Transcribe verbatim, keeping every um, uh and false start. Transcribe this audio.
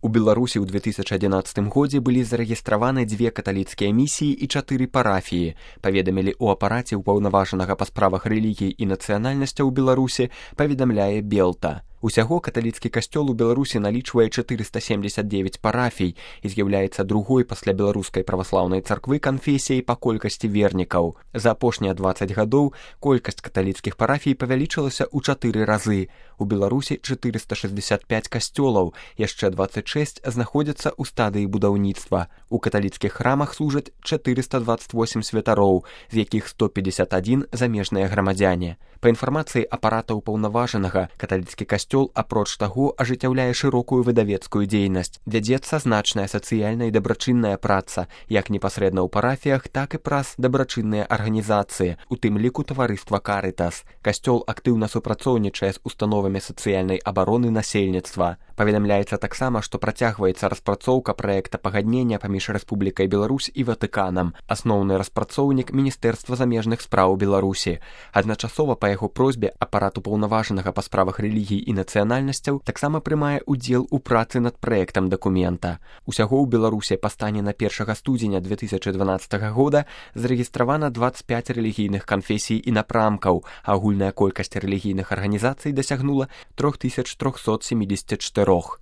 У Беларусі ў две тысячы адзінаццатым годзе былі зарэгістраваны дзве каталіцкія місіі і чатыры парафіі, паведамілі ў апараце ўпаўнаважанага па справах рэлігій і нацыянальнасцяў Беларусі, паведамляе Белта. Усяго каталіцкі касцёл у Беларусі налічвае чатырыста семдзесят дзевяць парафій і з'яўляецца другой пасля беларускай праваслаўнай царквы канфесіяй па колькасці вернікаў. За апошнія дваццаць гадоў колькасць каталіцкіх парафій павялічылася ў чатыры разы. У Беларусі чатырыста шэсцьдзесят пяць касцёлаў, яшчэ дваццаць шэсць знаходзяцца ў стадыі будаўніцтва. У каталіцкіх храмах служаць чатырыста дваццаць восем святароў, з якіх сто пятьдесят один замежныя грамадзяне. Па інфармацыі апарата ўпаўнаважанага, каталіцкі касцёл, апроч таго, ажыццяўляе шырокую выдавецкую дзейнасць. Вядзецца значная сацыяльная і дабрачынная праца, як непасрэдна ў парафіях, так і праз дабрачынныя арганізацыі, у тым ліку таварыства Карытас. Касцёл актыўна супрацоўнічае з установамі сацыяльнай абароны насельніцтва. Паведамляецца таксама, што працягваецца распрацоўка праекта пагаднення паміж Рэспублікай Беларусь і Ватыканам. Асноўны распрацоўнік Міністэрства замежных спраў Беларусі. Адначасова па яго просьбе апарат упаўнаважанага па справах рэлігій і нацыянальнасцяў таксама прымае ўдзел у працы над праектам дакумента. Усяго ў Беларусі па стане на першага студзеня две тысячы дванаццатага года зарэгістравана дваццаць пяць рэлігійных канфесій і напрамкаў, а агульная колькасць рэлігійных арганізацый дасягнула тры тысячы трохсот сямдзесят чатыры.